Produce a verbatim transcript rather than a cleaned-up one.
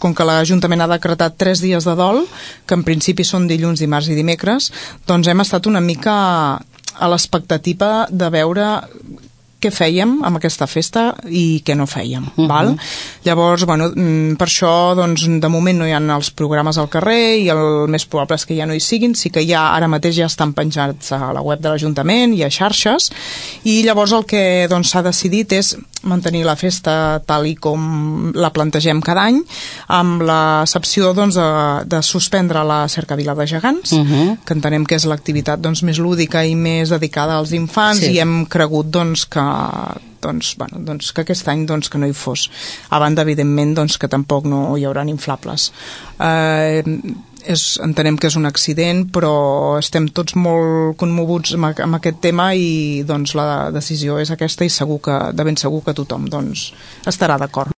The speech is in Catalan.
com que l'Ajuntament ha decretat tres dies de dol, que en principi són dilluns, dimarts i dimecres, doncs hem estat una mica a l'expectativa de veure què fèiem amb aquesta festa i què no fèiem. Uh-huh. Val? Llavors, bueno, per això doncs, de moment no hi ha els programes al carrer i el més probable és que ja no hi siguin, sí que ja ara mateix ja estan penjats a la web de l'Ajuntament i a xarxes, i llavors el que doncs, s'ha decidit és mantenir la festa tal i com la plantegem cada any, amb l'excepció doncs, de, de suspendre la cercavila de gegants, uh-huh. que entenem que és l'activitat doncs, més lúdica i més dedicada als infants, sí. i hem cregut doncs, que doncs, bueno, doncs que aquest any doncs, que no hi fos. A banda, evidentment, doncs, que tampoc no hi haurà inflables. Eh, és, entenem que és un accident, però estem tots molt commoguts amb, amb aquest tema i doncs, la decisió és aquesta i segur que, de ben segur que tothom doncs, estarà d'acord.